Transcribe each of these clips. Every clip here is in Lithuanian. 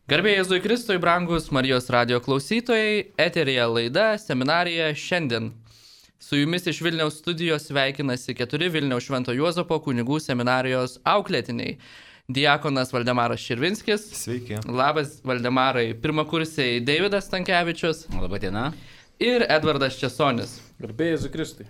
Garbė Jėzui Kristui, brangus Marijos radijo klausytojai, eteryje laida Seminarija šiandien. Su jumis iš Vilniaus studijos sveikinasi 4 Vilniaus Švento Juozapo kunigų seminarijos auklėtiniai. Diakonas Valdemaras Širvinskis. Sveiki. Labas, Valdemarai. Pirmakursiai Deividas Stankevičius. Labą dieną. Ir Edvardas Česonis. Garbė Jėzui Kristui.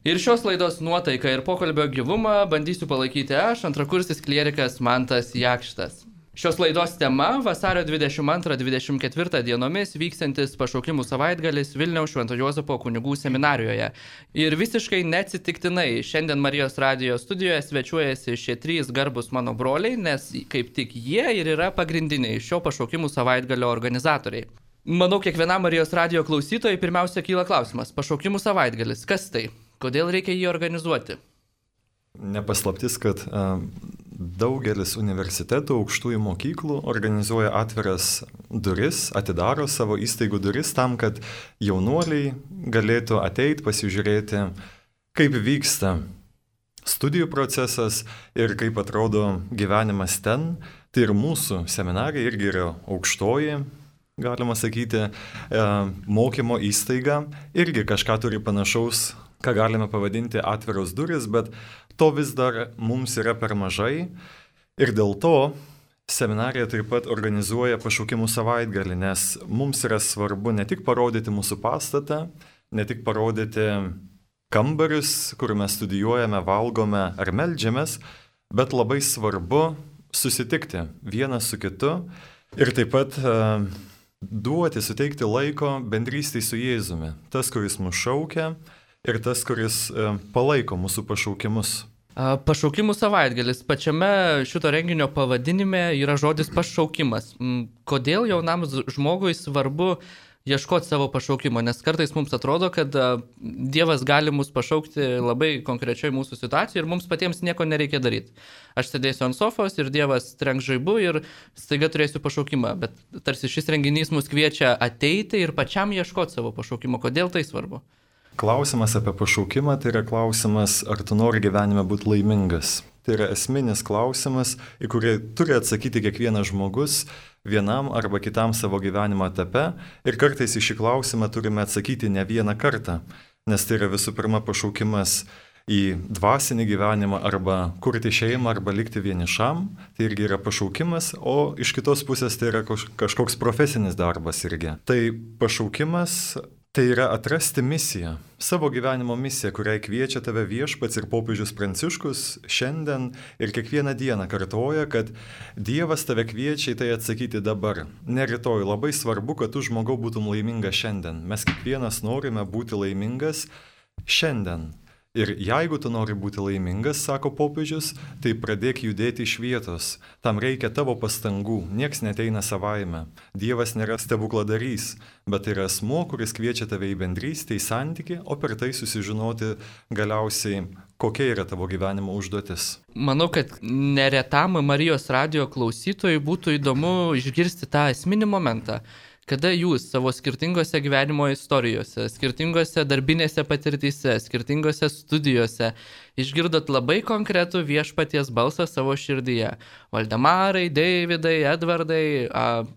Ir šios laidos nuotaiką ir pokalbio gyvumą bandysiu palaikyti aš, antrakursis klierikas Mantas Jakštas. Šios laidos tema - vasario 22-24 dienomis vykstantis pašaukimų savaitgalis Vilniaus Švento Juozapo kunigų seminarijoje. Ir visiškai neatsitiktinai šiandien Marijos radijo studijoje svečiuojasi šie 3 garbus mano broliai, nes kaip tik jie ir yra pagrindiniai šio pašaukimų savaitgalio organizatoriai. Manau, kiekvienam Marijos radijo klausytojai pirmiausia kyla klausimas - pašaukimų savaitgalis, kas tai? Kodėl reikia jį organizuoti? Nepaslaptis, kad daugelis universitetų, aukštųjų mokyklų organizuoja atviras duris, atidaro savo įstaigų duris tam, kad jaunuoliai galėtų ateiti, pasižiūrėti, kaip vyksta studijų procesas ir kaip atrodo gyvenimas ten. Tai ir mūsų seminarija irgi yra aukštoji, galima sakyti, mokymo įstaiga, irgi kažką turi panašaus, ką galime pavadinti atviros duris, bet to vis dar mums yra per mažai ir dėl to seminarija taip pat organizuoja pašaukimų savaitgalį, nes mums yra svarbu ne tik parodyti mūsų pastatą, ne tik parodyti kambarius, kur mes studijuojame, valgome ar meldžiamės, bet labai svarbu susitikti vienas su kitu ir taip pat suteikti laiko bendrystei su Jėzumi, tas, kuris mus šaukia, ir tas, kuris palaiko mūsų pašaukimus. Pašaukimų savaitgalis. Pačiame šito renginio pavadinime yra žodis pašaukimas. Kodėl jaunam žmogui svarbu ieškoti savo pašaukimo? Nes kartais mums atrodo, kad Dievas gali mus pašaukti labai konkrečiai mūsų situacijoje ir mums patiems nieko nereikia daryti. Aš sėdėsiu ant sofos ir Dievas trenks žaibu ir staiga turėsiu pašaukimą. Bet tarsi šis renginys mus kviečia ateiti ir pačiam ieškoti savo pašaukimo. Kodėl tai svarbu? Klausimas apie pašaukimą tai yra klausimas, ar tu nori gyvenime būti laimingas. Tai yra esminis klausimas, į kurį turi atsakyti kiekvienas žmogus vienam arba kitam savo gyvenimo etape. Ir kartais į šį klausimą turime atsakyti ne vieną kartą, nes tai yra visų pirma pašaukimas į dvasinį gyvenimą arba kurti šeimą arba likti vienišam. Tai irgi yra pašaukimas, o iš kitos pusės tai yra kažkoks profesinis darbas irgi. Tai pašaukimas tai yra atrasti misiją, savo gyvenimo misiją, kuriai kviečia tave Viešpats ir popiežius Pranciškus šiandien ir kiekvieną dieną kartoja, kad Dievas tave kviečia į tai atsakyti dabar, ne rytoj. Labai svarbu, kad tu žmogau būtum laimingas šiandien. Mes kiekvienas norime būti laimingas šiandien. Ir jeigu tu nori būti laimingas, sako popiežius, tai pradėk judėti iš vietos. Tam reikia tavo pastangų, nieks neteina savaime. Dievas nėra stebukladarys, bet tai yra asmuo, kuris kviečia tave į bendrystę, į santykį, o per tai susižinoti galiausiai, kokia yra tavo gyvenimo užduotis. Manau, kad neretam Marijos radijo klausytojui būtų įdomu išgirsti tą esminį momentą. Kada jūs savo skirtingose gyvenimo istorijose, skirtingose darbinėse patirtyse, skirtingose studijose išgirdot labai konkretų Viešpaties balsą savo širdyje. Valdemarai, Deividai, Edvardai,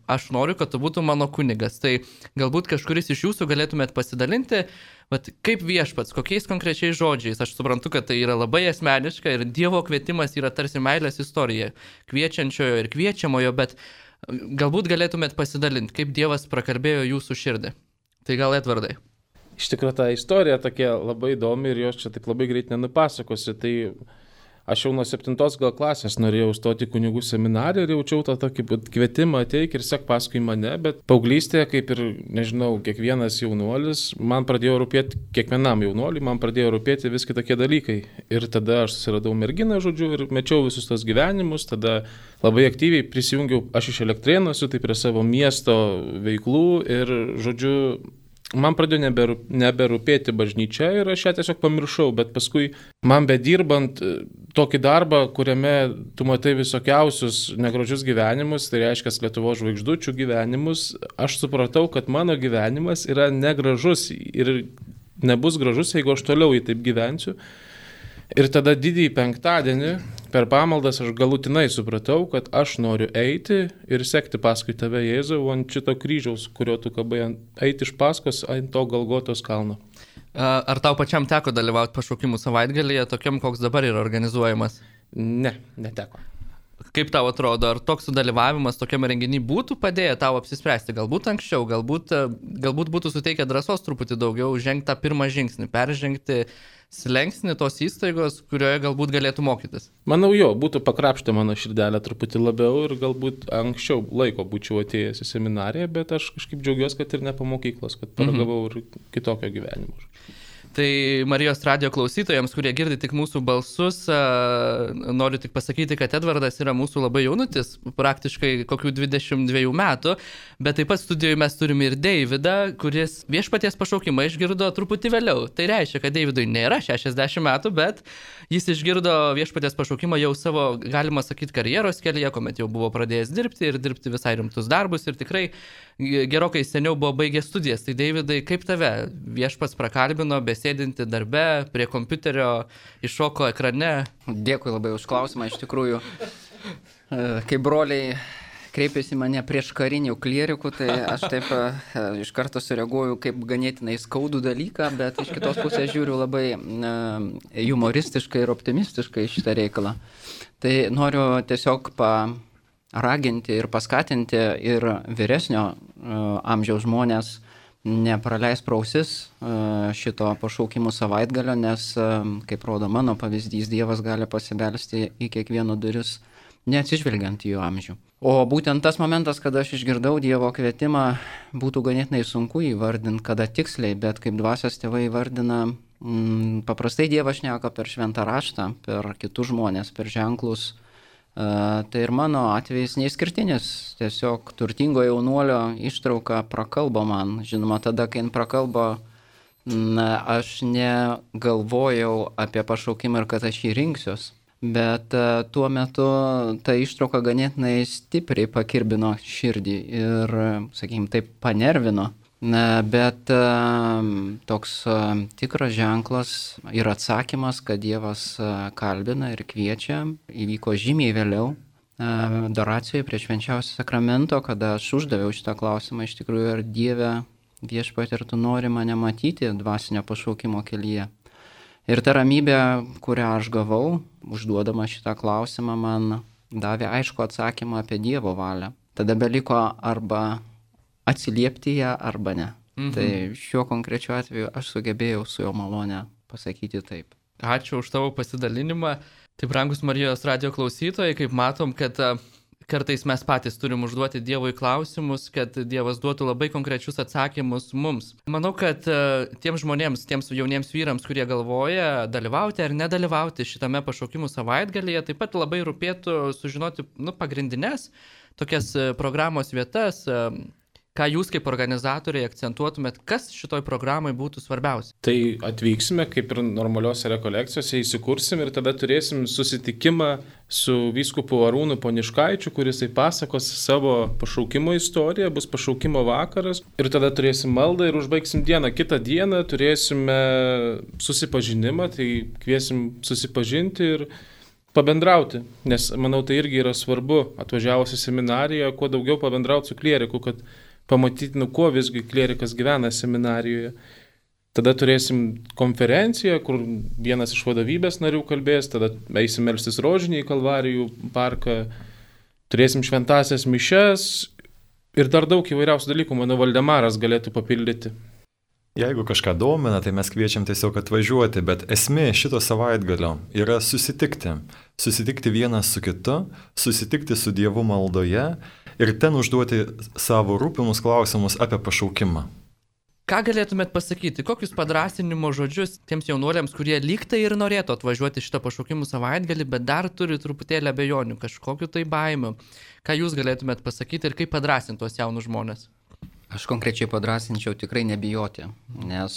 aš noriu, kad tu būtum mano kunigas. Tai galbūt kažkuris iš jūsų galėtumėt pasidalinti, bet kaip Viešpats, kokiais konkrečiais žodžiais. Aš suprantu, kad tai yra labai asmeniška ir Dievo kvietimas yra tarsi meilės istorija, kviečiančiojo ir kviečiamojo, bet galbūt galėtumėt pasidalinti, kaip Dievas prakalbėjo jūsų širdį. Tai gal Edvardai? Iš tikrųjų, ta istorija tokia labai įdomi ir jos čia taip labai greit nenupasakosiu. Tai aš jau nuo 7 klasės norėjau stoti kunigų seminariją ir jaučiau tą tokį kvietimą ateik ir sek paskui mane, bet paauglystėje, kaip ir, nežinau, kiekvienas jaunuolis, man pradėjo rūpėti, kiekvienam jaunuoliui, man pradėjo rūpėti vis kitokie dalykai. Ir tada aš susiradau merginą, žodžiu, ir mečiau visus tos gyvenimus, tada labai aktyviai prisijungiau, aš iš Elektrėnų esu, tai prie savo miesto veiklų ir, žodžiu, man pradėjo neberūpėti bažnyčia ir aš ją tiesiog pamiršau, bet paskui man bedirbant tokį darbą, kuriame tu matai visokiausius negražius gyvenimus, tai reiškia Lietuvos žvaigždučių gyvenimus, aš supratau, kad mano gyvenimas yra negražus ir nebus gražus, jeigu aš toliau jį taip gyvensiu. Ir tada didįjį penktadienį per pamaldas aš galutinai supratau, kad aš noriu eiti ir sekti paskui tave, Jėzau, ant šito kryžiaus, kurio tu kabai, eiti iš paskos ant to Golgotos kalno. Ar tau pačiam teko dalyvauti pašaukimų savaitgalyje, tokiam, koks dabar yra organizuojamas? Ne, neteko. Kaip tau atrodo, ar toks sudalyvavimas tokiam renginį būtų padėję tau apsispręsti? Galbūt anksčiau, galbūt būtų suteikę drąsos truputį daugiau žengti tą pirmą žingsnį, peržengti slengsnį tos įstaigos, kurioje galbūt galėtų mokytis? Manau, būtų pakrapštę mano širdelę truputį labiau ir galbūt anksčiau laiko būčiau atėjęs į seminariją, bet aš kažkaip džiaugiuosi, kad ir ne po mokyklos, kad paragavau ir kitokio gyvenimo. Tai Marijos radijo klausytojams, kurie girdi tik mūsų balsus, noriu tik pasakyti, kad Edvardas yra mūsų labai jaunutis, praktiškai kokių 22 metų, bet taip pat studijoje mes turime ir Deividą, kuris viešpaties pašaukimą išgirdo truputį vėliau. Tai reiškia, kad Deividui nėra 60 metų, bet jis išgirdo viešpaties pašaukimą jau savo, galima sakyti, karjeros kelyje, kuomet jau buvo pradėjęs dirbti ir dirbti visai rimtus darbus ir tikrai gerokai seniau buvo baigęs studijas. Tai Deividai, kaip tave viešpats prakalbino, besėdinti darbe, prie kompiuterio, iššoko ekrane? Dėkui labai už klausimą. Iš tikrųjų, kai broliai kreipėsi mane prieš karinių klierikų, tai aš taip iš karto sureaguoju kaip ganėtinai skaudų dalyką, bet iš kitos pusės žiūriu labai humoristiškai ir optimistiškai šitą reikalą. Tai noriu tiesiog raginti ir paskatinti ir vyresnio amžiaus žmonės nepraleis prausis šito pašaukimų savaitgalio, nes, kaip rodo mano pavyzdys, Dievas gali pasibelsti į kiekvieno duris, neatsižvelgiant į jų amžių. O būtent tas momentas, kada aš išgirdau Dievo kvietimą, būtų ganėtinai sunku įvardinti, kada tiksliai, bet kaip dvasios tėvai įvardina, paprastai Dievas šneka per šventą raštą, per kitus žmonės, per ženklus. Tai ir mano atvejis neišskirtinis, tiesiog turtingo jaunuolio ištrauka prakalbo man. Žinoma, tada, kai jin prakalbo, aš negalvojau apie pašaukimą ir kad aš jį rinksiuos. Bet tuo metu ta ištrauka ganėtinai stipriai pakirbino širdį ir, sakykime, taip panervino. Bet toks tikras ženklas ir atsakymas, kad Dievas kalbina ir kviečia, įvyko žymiai vėliau, adoracijoje prie švenčiausio sakramento, kada aš uždaviau šitą klausimą, iš tikrųjų, ar Dieve viešpatie, ar tu nori mane matyti dvasinio pašaukimo kelyje. Ir ta ramybė, kurią aš gavau, užduodama šitą klausimą, man davė aišku atsakymą apie Dievo valią. Tada beliko arba atsiliepti ją, arba ne. Tai šiuo konkrečiu atveju aš sugebėjau su jo malone pasakyti taip. Ačiū už tavo pasidalinimą. Tai, brangus Marijos radijo klausytojai, kaip matom, kad kartais mes patys turim užduoti Dievui klausimus, kad Dievas duotų labai konkrečius atsakymus mums. Manau, kad tiems žmonėms, tiems jauniems vyrams, kurie galvoja dalyvauti ar nedalyvauti šitame pašaukimų savaitgalyje, taip pat labai rūpėtų sužinoti pagrindines tokias programos vietas. Ką jūs kaip organizatoriai akcentuotumėt, kas šitoj programai būtų svarbiausia? Tai atvyksime, kaip ir normaliuose rekolekcijose, įsikursim ir tada turėsim susitikimą su vyskupu Arūnu Poniškaičiu, kuris pasakos savo pašaukimo istoriją, bus pašaukimo vakaras ir tada turėsim maldą ir užbaigsim dieną. Kitą dieną turėsime susipažinimą, tai kviesim susipažinti ir pabendrauti, nes manau tai irgi yra svarbu atvažiavus į seminariją, kuo daugiau pabendrauti su klieriku, kad pamatyti, kuo visgi klierikas gyvena seminarijoje. Tada turėsim konferenciją, kur vienas iš vadovybės narių kalbės, tada eisim melstis rožinį į Kalvarijų parką, turėsim šventasias mišes ir dar daug įvairiausių dalykų, manau, Valdemaras galėtų papildyti. Jeigu kažką domina, tai mes kviečiam tiesiog atvažiuoti, bet esmė šito savaitgalio yra susitikti. Susitikti vienas su kitu, susitikti su Dievu maldoje ir ten užduoti savo rūpimus klausimus apie pašaukimą. Ką galėtumėt pasakyti, kokius padrąsinimo žodžius tiems jaunuoliams, kurie lygtai ir norėtų atvažiuoti šitą pašaukimų savaitgalį, bet dar turi truputėlį abejonių, kažkokiu tai baimių. Ką jūs galėtumėt pasakyti ir kaip padrąsinti tuos jaunus žmonės? Aš konkrečiai padrąsinčiau tikrai nebijoti, nes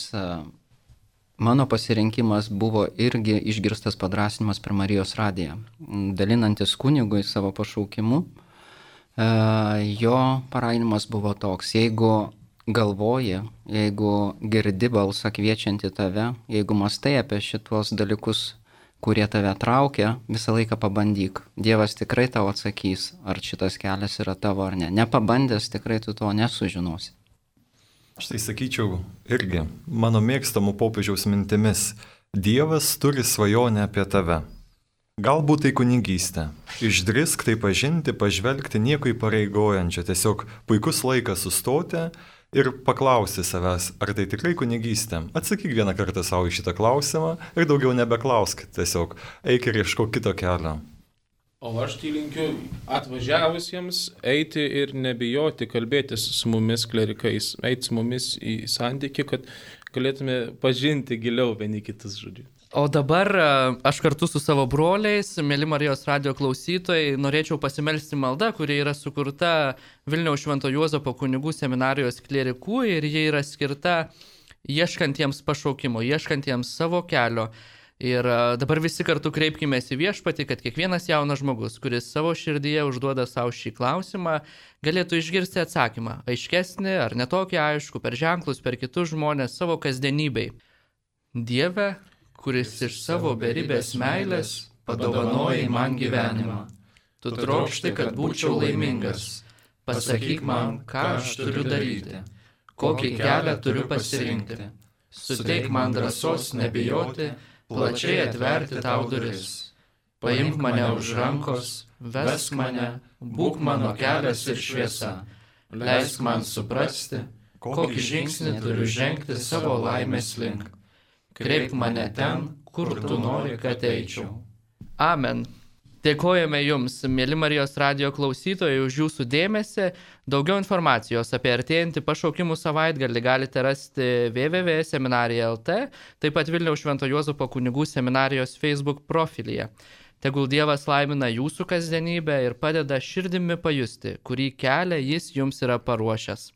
mano pasirinkimas buvo irgi išgirstas padrąsinimas per Marijos radiją. Dalinantis kunigui savo pašaukimu, jo paraginimas buvo toks: jeigu galvoji, jeigu girdi balsą kviečianti tave, jeigu mastai apie šitos dalykus, kurie tave traukia, visą laiką pabandyk. Dievas tikrai tau atsakys, ar šitas kelias yra tavo ar ne. Nepabandęs tikrai tu to nesužinosi. Aš tai sakyčiau irgi, mano mėgstamų popiežiaus mintimis, Dievas turi svajonę apie tave. Galbūt tai kunigystė. Išdrisk tai pažinti, pažvelgti nieko įpareigojančio, tiesiog puikus laikas sustoti ir paklausti savęs, ar tai tikrai kunigystė. Atsakyk vieną kartą savo į šitą klausimą ir daugiau nebeklausk, tiesiog eik ir ieškok kito kelio. O aš tai linkiu atvažiavusiems eiti ir nebijoti kalbėtis su mumis klerikais, eiti su mumis į santykį, kad galėtume pažinti giliau vieni kitus, žodžiu. O dabar aš kartu su savo broliais, mėly Marijos radijo klausytojai, norėčiau pasimelsti maldą, kuri yra sukurta Vilniaus Švento Juozapo kunigų seminarijos klierikų ir jie yra skirta ieškantiems pašaukimo, ieškantiems savo kelio. Ir dabar visi kartu kreipkimės į Viešpatį, kad kiekvienas jaunas žmogus, kuris savo širdyje užduoda savo šį klausimą, galėtų išgirsti atsakymą, aiškesnį ar netokį aišku, per ženklus, per kitus žmonės, savo kasdienybei. Dieve, kuris iš savo beribės meilės padovanojai man gyvenimą. Tu trokšti, kad būčiau laimingas. Pasakyk man, ką aš turiu daryti, kokį kelią turiu pasirinkti. Suteik man drąsos nebijoti, plačiai atverti tau duris. Paimk mane už rankos, vesk mane, būk mano kelias ir šviesa. Leisk man suprasti, kokį žingsnį turiu žengti savo laimės link. Kreipk mane ten, kur tu nori, kad eičiau. Amen. Dėkojame Jums, mėly Marijos radijo klausytojai, už Jūsų dėmesį. Daugiau informacijos apie artėjantį pašaukimų savaitgalį galite rasti www.seminarija.lt, taip pat Vilniaus Švento Juozapo kunigų seminarijos Facebook profilyje. Tegul Dievas laimina Jūsų kasdienybę ir padeda širdimi pajusti, kurį kelią Jis Jums yra paruošęs.